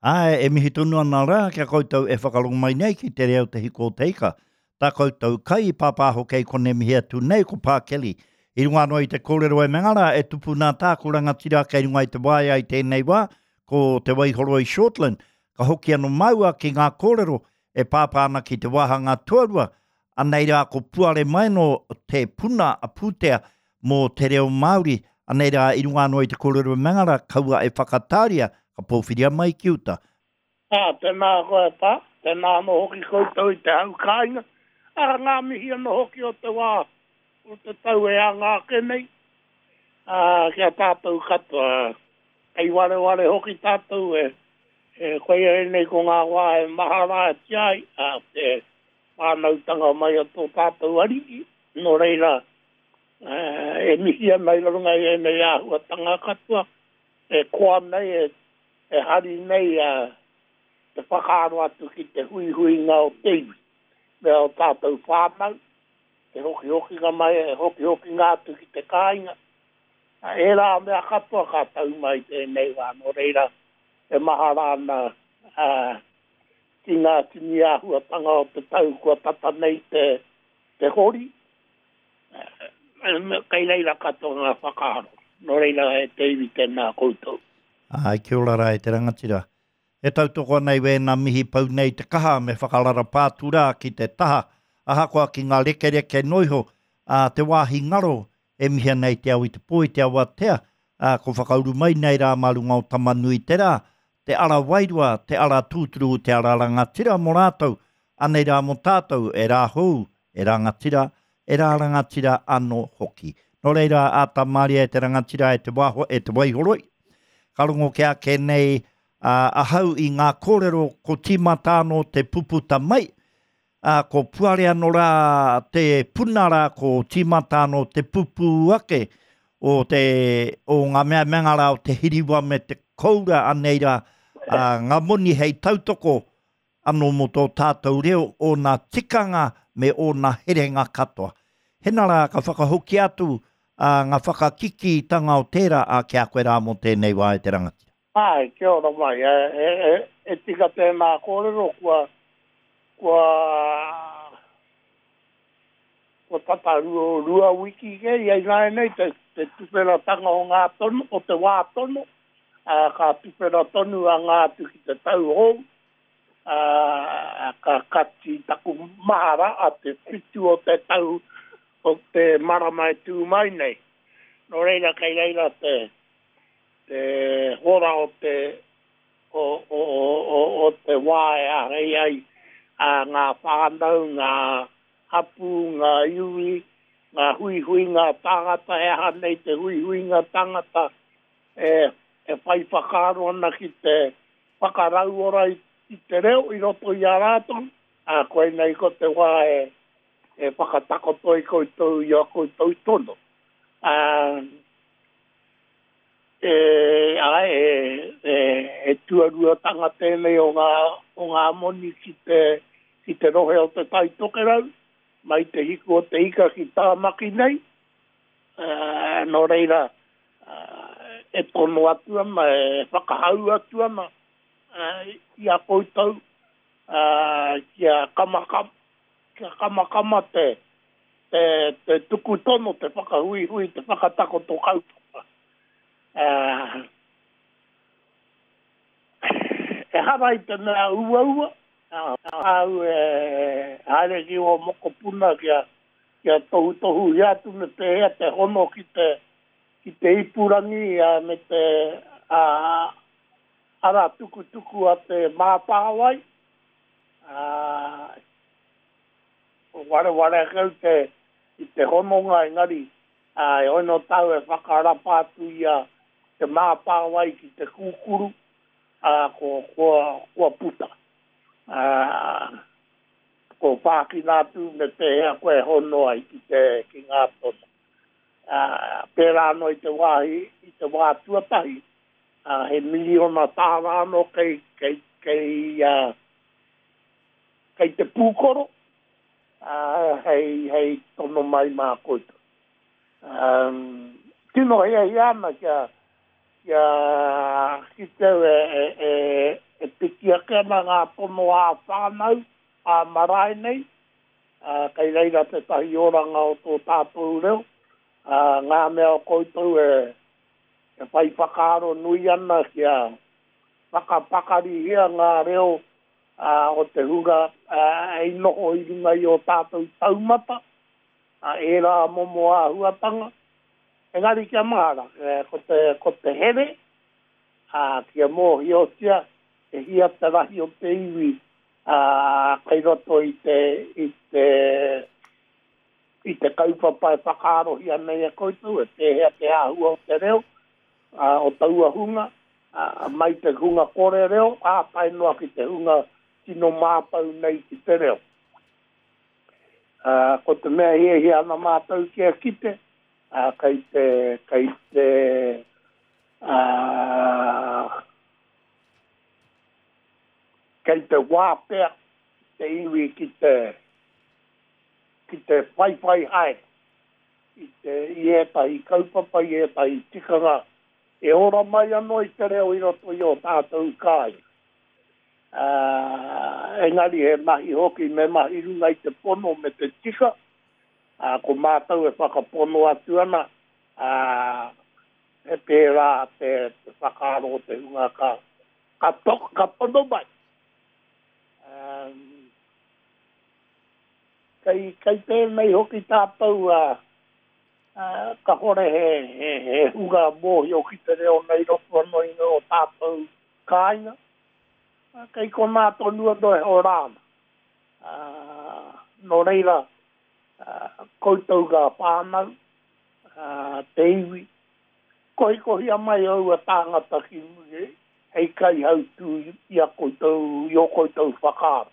Āe, e mihi tonu ana rā ki a koutou e whakarongo mai nei ki te reo Te Hiko o Te Ika. Tā koutou kai i pāpāho kei konei mihi atu nei ko Pā Kelly. I runga anō i te kōrero e menga rā e tupu nā tāku rangatira kei runga i te waea i tēnei wā, ko Te Waihoroi Shortland. Ka hoki anō māua ki ngā kōrero e pāpā ana ki te wāhanga tuarua, anei rā ko puare mai anō te puna a pūtea mō te reo Māori, anei rā i runga anō i te kōrero mengara, kaua e whakatāria, ka pōwhiria mai ki uta. Ā, tēnā koe e Pā, tēnā anō hoki koutou i te hau kāinga, ā, ngā mihi anō hoki o te wā, o te tau e anga ake nei, ā, ki a tātou katoa, kei wareware hoki tātou e, e, koia ēnei ko ngā wā e maharatia ai, ā, te whānautanga mai o tō tātou Ariki, nō reira, e mihi ana i runga i ēnei āhuatanga katoa, e koa nei, e, e hari nei a, te whakaaro atu ki te huihuinga o te iwi, me ō tātou whānau, te hokihokinga mai, e hokihokinga atu ki te kāinga. Ērā mea katoa ka tau mai tēnei wā, nō reira, e mahara ana ā, ki ngā tini āhuatanga o te tau kua tata nei te, te hori, kei reira katoa ngā whakaaro. Nō reira, e te iwi tēnā koutou. Āe, kia ora rā e te rangatira. E tautoko ana i wēnā mihi pau nei te kaha me whakararapa atu rā ki te taha, ahakoa ki ngā rekereke noiho, ā, te wāhi ngaro e mihi ana i te ao i te pō, i te awatea, ā, ko whakauru mai nei rā mā runga o Tama-nui-te-rā, te ara wairua, te ara tūturu, te ara rangatira mō rātou, anei rā mō tātou, e rā hou, e rangatira, e rā rangatira anō hoki. Nō reira, āta māria e te rangatira, e te wāho, e te waihoroi. Ka rongo ke ake nei a, ahau i ngā kōrero ko tīmata anō te puputa mai, ā, ko puare anō rā te puna rā, ko tīmata anō te pupū ake o te, o ngā mea mea rā o te hiriwa me te koura anei rā, ā, ngā moni hei tautoko anō mō tō tātou reo, ōna tikanga me ōna herenga katoa. Hena rā ka whakahokia atu ā, ngā whakakikītanga o tērā, ā, ki a koe rā mō tēnei wā e te rangatira. Āe, kia ora mai. E, e, e, e tika tēnā kōrero, kua, kua, kua tata rua, wiki kē ia ināianei te, te tuwheratanga o ngā tono, o te wā tono, ā, ka tuwhera tonu a ngā atu ki te tau hou, ā, ka kati taku mahara a te whitu o te tau o te marama e tū mai nei. Nō reira, kei reira te, te hora o te, o, o, o, o te wā e āhei ai a ngā whānau, ngā hapū, ngā iwi, ngā huihuinga tāngata, he aha nei te huihuinga tāngata e, e whai whakaaro ana ki te whakarauora i, i te reo i roto i a rātou, ā, koinei ko te wā e, e whakatakoto ai koutou i a koutou tono. Ā, e, āe, e, e, e tuaruatanga tēnei o ngā, o ngā moni ki te, ki te rohe o Te Tai Tokerau, mai te hiku o te ika ki Tāmaki nei, ā, nō reira, e tono atu ana, e whakahau atu ana i a koutou kia kamakama, kia kamakama te, te, te tuku tono, te whakahuihui, te whakatakoto kaupapa. Ehara i te mea uaua, āu e haere ki ō mokopuna kia, kia tohutohuhia atu me pēhea te hono ki te, ki te ipurangi me te ara tukutuku a te Mātāwai, ā, wareware ake au te, i te hononga engari, ā, e ono tau e whakarapa atu i a te Mātāwai ki te kūkuru, ā, ko, kua, kua puta. Ā, ko whākina atu me pēhea koe e hono ai ki te, ki ngā tono. Ā, pērā anō i te wāhi, i te wā tuatahi, ā, he miriona tāra anō kei, kei, kei, ā, kei te pūkoro, ā, hei, hei tono mai mā koutou. Ā, tino hiahia ana kia, kia kite au e, e, e, e piki ake ana ngā tono ā-whānau, ā-marae nei, ā, kei reira tētahi oranga o tō tātou reo, ā, ngā mea o koutou e, e whai whakaaro nui ana kia whakapakarihia ngā reo ā, o te hunga ā, i noho i runga i ō tātou taumata, ā, ērā momo āhuatanga. Engari kia mahara, ko te, ko te here, ā, kia mōhiotia e hia te rahi o te iwi, ā, kei roto i te, i te, i te kaupapa e whakaarohia nei e koutou, e pēhea te āhua o te reo, ā, o taua hunga, ā, mai te hunga kore reo, ā, tae noa ki te hunga tino mātau nei ki te reo. Ā, ko te mea hiahia ana mātou kia kite, ā, kei te, kei te, ā, kei te wātea te iwi ki te, ki te whaiwhai haere i te, i ētahi kaupapa, i ētahi tikanga e ora mai anō i te reo i roto i ō tātou kāinga. Ā, engari he mahi hoki me mahi runga i te pono me te tika, ā, ko mātou e whakapono atu ana, ā, he pērā te, te whakaaro o te hunga ka, ka, to, ka tono mai. Ā, kei, kei tēnei hoki tātou, ā, ā, kahore he, he, he hunga mōhio ki te reo nei roto anō i ngā o tātou kāinga, Kei konā tonu anō e hora ana. Nō reira, koutou ngā whānau, te iwi, kohikohia mai aua tāngata ki muri hei kaihautū i a koutou, i ō koutou whakaaro.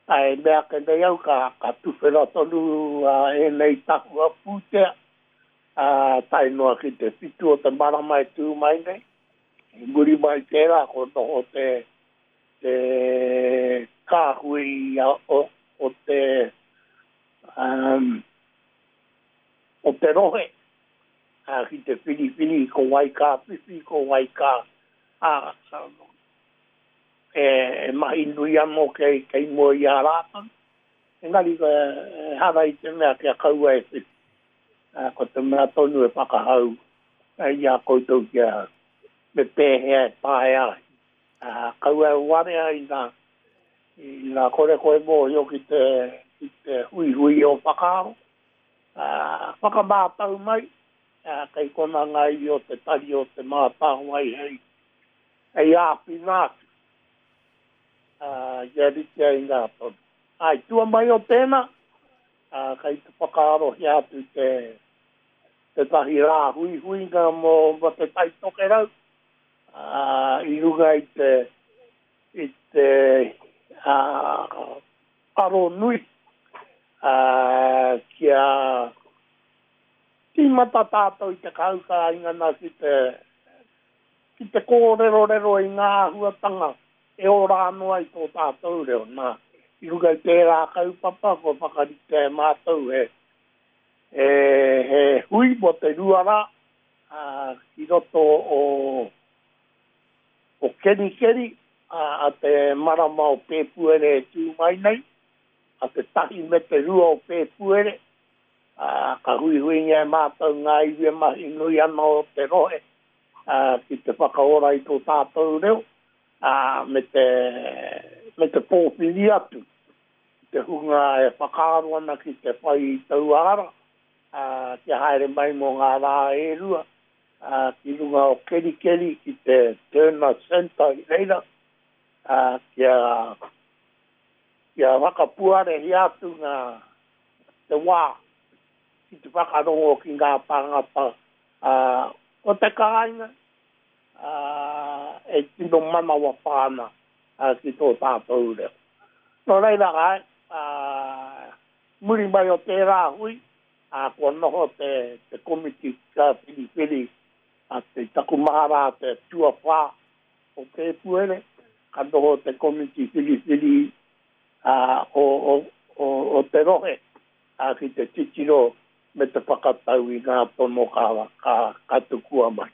E mea ake nei au ka tuwhera tonu ēnei tahua pūtea, tae noa ki te whitu o te marama e tū mai nei. I muri mai i tērā ko noho te te kāhui o, o te um, o te rohe ā, ki te whiriwhiri ko wai ka whiwhi, ko wai ka ā, e, e mahi nui anō kei, kei mua i a rātou. Engari, ehara i te mea kia kaua e whiwhi. Ā, ko te mea tonu e whakahau i a koutou kia me pēhea e taea ai. Ā, kaua e warea ina, ina kore koe mōhio ki te, ki te huihui o whakaaro. Ā, whakamātau mai, ā, kei konā ngā iwi o te Tari o Te Mātāwai hei, hei āwhina atu, ā, kia rite ai ngā tono. Ā, i tua mai o tēnā, ā, kei te whakaarohia atu te, tētahi rā huihuinga mō, mō Te Tai Tokerau, ā, i runga i te, i te, ā, aro nui, ā, kia tīmata tātou i te kaukāinga nā ki te, ki te kōrerorero i ngā āhuatanga e ora anō ai tō tātou reo. Nā, i runga i tērā kaupapa kua whakaritea e mātou he, he, he hui mō te 2 rā, ā, ki roto o, o Kerikeri, ā, a te marama o Pēpuere e tū mai nei, a te 1 me te 2 o Pēpuere, ā, ka huihuingia e mātou ngā iwi e mahi nui ana o te rohe, ā, ki te whakaora i tō tātou reo, ā, me te, me te pōwhiri atu i te hunga e whakaaro ana ki te whai i taua ara, ā, kia haere mai mō ngā rā e rua, ā, ki runga o Kerikeri, ki te Turner Centre i reira, ā, kia, kia whakapuarehia atu ngā, te wā ki te whakarongo ki ngā tāngata o te kāinga e tino manawapā ana ki tō tātou reo. Nō reira, āe, muri mai o tērā hui, kua noho te komiti whiriwhiri a te taku mahara te tuawhā o Pēpuere, ka noho te komiti whiriwhiri o te rohe ki te titiro me te whakatau i ngā tono ka, ka, ka tukua mai.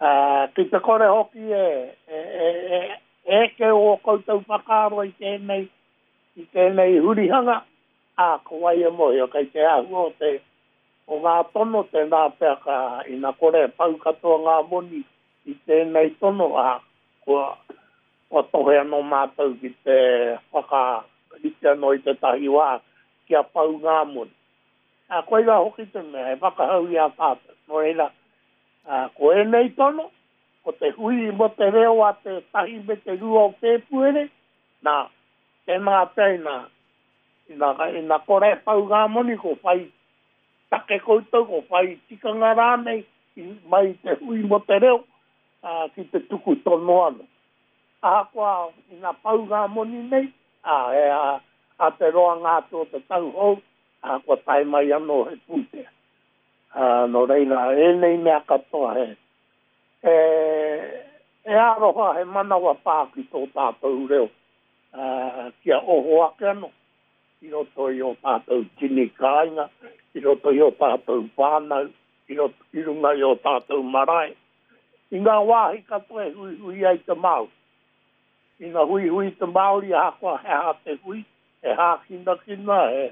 Ā, ki te kore hoki e, e, e, e, e eke ō koutou whakaaro i tēnei, i tēnei hurihanga, ā, ko wai e mōhio kei te āhua o te, o ngā tono, tēnā pea ka, ina kore e pau katoa ngā moni i tēnei tono, ā, kua, kua tohe anō mātou ki te whakarite anō i tētahi wā kia pau ngā moni. Ā, koirā hoki te mea e whakahau i a tātou. Nō reira, ā, ko ēnei tono, ko te hui mō te reo a te 1 me te 2 o Pēpuere, nā, tēnā pea ina, ina, ina kore e pau ngā moni, ko whai take koutou, ko whai tikanga rānei i, mai i te hui mō te reo, ā, ki te tuku tono anō. Ahakoa ina pau ngā moni nei, ā, e, ā, ā te roanga atu o te tau hou, ā, kua tae mai anō he pūtea. Ā, nō reira, ēnei mea katoa he, he, he aroha, he manawa pā ki tō tātou reo, ā, kia oho ake anō i roto i ō tātou tini kāinga, i roto i ō tātou whānau, i roto, i runga i ō tātou marae, i ngā wāhi katoa e huihui ai te Māori. Ina huihui te Māori ahakoa he aha te hui, he hākinakina, he,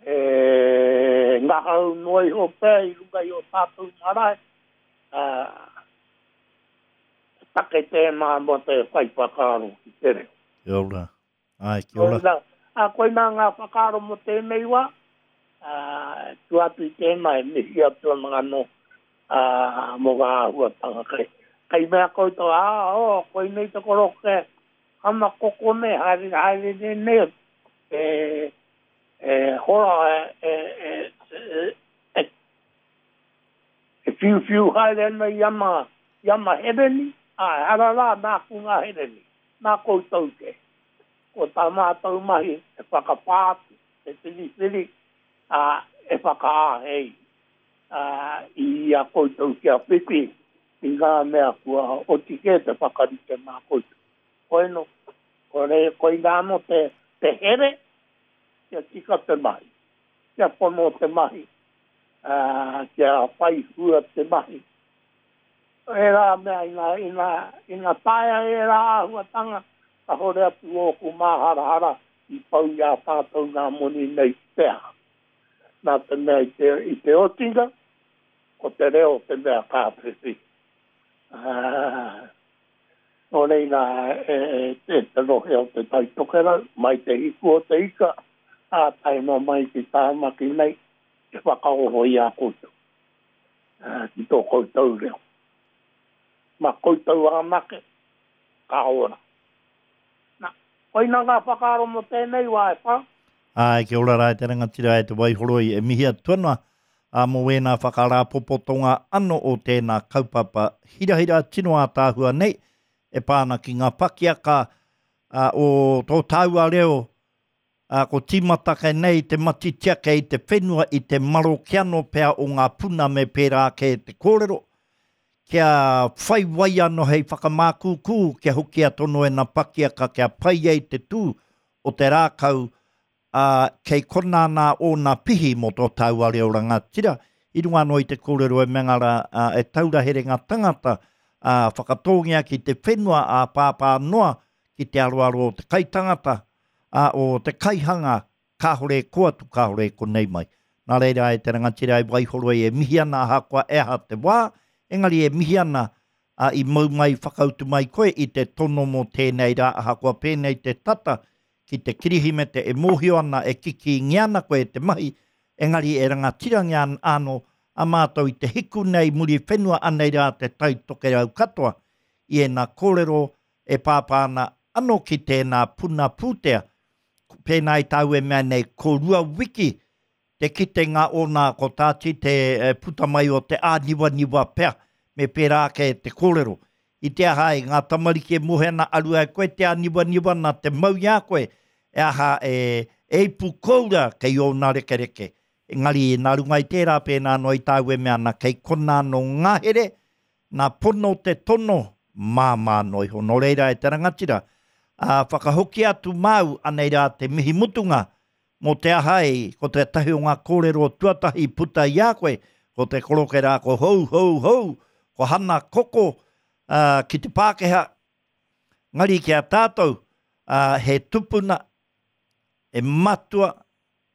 he ngahau noa iho pea i runga i ō tātou marae, ā, he take tēnā mō te whai whakaaro ki te reo. Kia ora. Āe, kia ora. Koinā, ā, koinā ngā whakaaro mō tēnei wā, ā, tua atu i tēnā e mihi atu ana anō, ā, mō ngā āhuatanga kei, kei mea koutou, ā, oh, koinei te koroke hana koko nei, haere, haere nei nei, e, e hora, e, e, e, e, e whiuwhiu haere ana i ana, i ana hereni, ā, ehara rā nāku ngā hereni. Nā koutou kē. Ko tā mātou mahi he whakapā atu, he whiriwhiri, ā, he whakaāhei i a koutou kia whiwhi i ngā mea kua oti kē te whakarite mā koutou. Koino, koinā anō te here kia tika te mahi, kia pono te mahi, ā, kia whai hua te mahi. Ērā mea, ina, ina, ina taea ērā āhuatanga, kāore atu ōku māharahara i pau i a tātou ngā moni nei ki te aha. Nā te mea i te, i te otinga, ko te reo te mea ka whiwhi. Ā, nō reira, e, e, e te rohe o Te Tai Tokerau, mai te hiku o te ika, ā, tae noa mai ki Tāmaki nei, te whakaoho i a koutou. ki tō koutou reo. Mā koutou anake ka ora. Nā, koina ngā whakaaro mō tēnei wā e whā. Āe, kia ora rā e te rangatira e te Waihoroi, e mihi atu ana mō wēnā whakarāpopotonga ano o tēnā kaupapa hirahira tino ātaahua nei e pā ana ki ngā pakiaka o tō tāua reo Ā, ko tīmata kei nei te matitia kei te whenua i te maroke anō pea o ngā puna me pērā ake te kōrero, kia whai wai anō hei whakamākūkū kia hokia tono ēnā pakiaka kia pai ai te tū o te rākau, ā, kei konā nā ōna pihi mō tō tāua reo rangatira, i runga anō i te kōrero e mea rā, ā, e taura herenga tangata, ā, whakatōngia ki te whenua ā pāpā noa ki te aroaro o te kaitangata, ā, o te kaihanga, kāore e kō atu, kāore e konei mai. Nā reira, e te rangatira e Waihoroi e mihi ana ahakoa e aha te wā, engari e mihi ana, ā, i mau mai, whakautu mai koe i te tono mō tēnei rā, ahakoa pēnei te tata ki te Kirihimete e mōhio ana, e kikīngia ana koe e te mahi, engari e rangatirangia ana anō a mātou i te hiku nei Muriwhenua anei rā te Tai Tokerau katoa i ēnā kōrero e pāpā ana ano ki tēnā puna pūtea, pēnā i tāu e mea nei, ko Ruawiki te kitenga ōna, ko Tāti te puta mai o te āniwaniwa pea, me pērā ake te kōrero. I te aha ai, ngā tamariki e mohe ana, aru ai koe te āniwaniwa nā te mau i a koe, e aha e, e ipu koura kei ōna rekereke. Engari, nā runga i tērā, pēnā anō i tāu e mea ana, kei konā anō ngahere, Nā pono te tono, māmā noa iho. Nō reira e te rangatira, ā, whakahokia atu māu, anei rā te mihi mutunga, mō te aha e, ko tētahi o ngā kōrero tuatahi i puta i a koe, ko te koroke rā ko hou, hou, hou, Ko Hana Koko ā, ki te Pākehā, ngari ki a tātou, ā, he tupuna, e matua,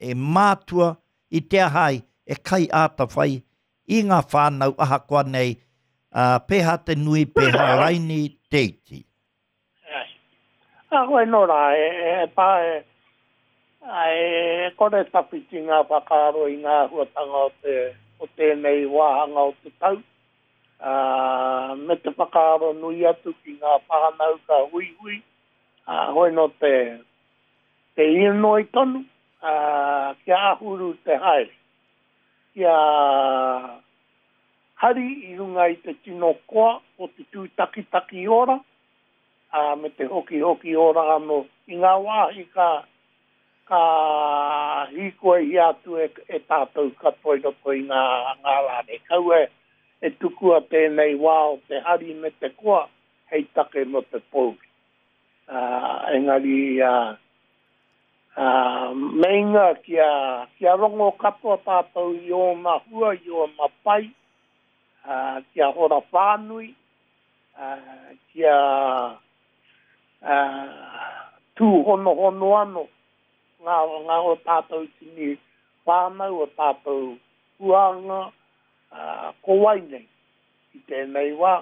e mātua i te aha ai e kai āta whai i ngā whānau ahakoa nei, ā, pēhā te nui, pēhā raini te iti. Ā, koe nō rā, e, e pā, e, e kore tawhiti ngā whakaaro i ngā āhuatanga o te, o tēnei wāhanga o te tau, ā, me te whakaaro nui atu ki ngā whānau ka huihui, ā, hoi nō te, te inoi tonu, ā, kia āhuru te haere, kia hari i runga i te tino koa o te tūtakitaki ora, ā, me te hokihoki ora anō i ngā wāhi ka, ka hīkoihia atu e, e tātou katoa i roto i ngā, ngā rā nei. Kaua e tukua tēnei wā o te hari me te koa hei take mō te pōuri. Ā, engari, ā, ā, meinga kia, kia rongo katoa tātou i ōna hua, i ōna pai, ā, kia hora whānui, ā, kia, ā, tūhonohono anō ngā, ngā o tātou tini whānau, o tātou huānga, ā, ko wai nei i tēnei wā,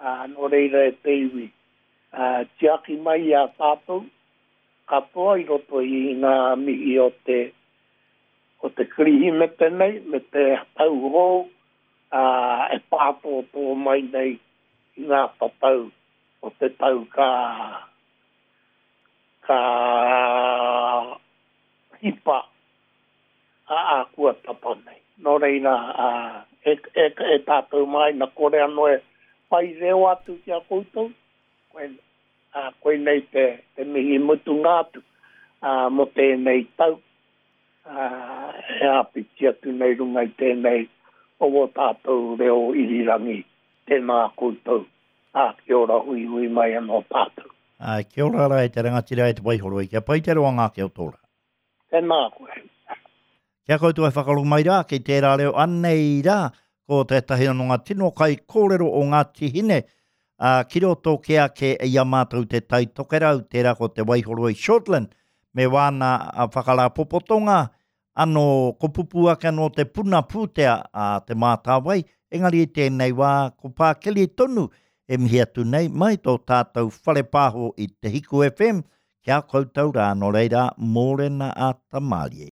ā, nō reira e te iwi, ā, tiaki mai i a tātou katoa i roto i ngā mihi o te, o te Kirihimete nei me te tau hou, ā, e pātōtō mai nei i ngā tatau o te tau ka, ka hipa a ākua tata nei. Nō reira, ā, e, e, e tātou mā, ina kore anō e whai reo atu ki a koutou, koe, ā, koinei te, te mihi mutunga atu, ā, mō tēnei tau, ā, e āpiti atu nei runga i tēnei o wō tātou reo irirangi. Tēnā koutou, ā, kia ora huihui mai anō tātou. Ā, kia ora rā e te rangatira e te Waihoroi, kia pai te roanga ake o tō rā. Tēnā koe. Kia koutou e whakarongo mai rā ki tērā reo anei rā, ko tētahi anō ngā tino kaikōrero o Ngāti Hine, ā, ki roto kē ake i a mātou Te Tai Tokerau, tērā ko Te Waihoroi Shortland, me wāna whakarāpopotonga, anō, ko pupū ake anō te puna pūtea a Te Mātāwai, engari i tēnei wā, ko Pākeli tonu e mihi atu nei mai tō tātou whare pāho i Te Hiku FM, Ki a koutou rā, nō reira, mōrena a Tamarie.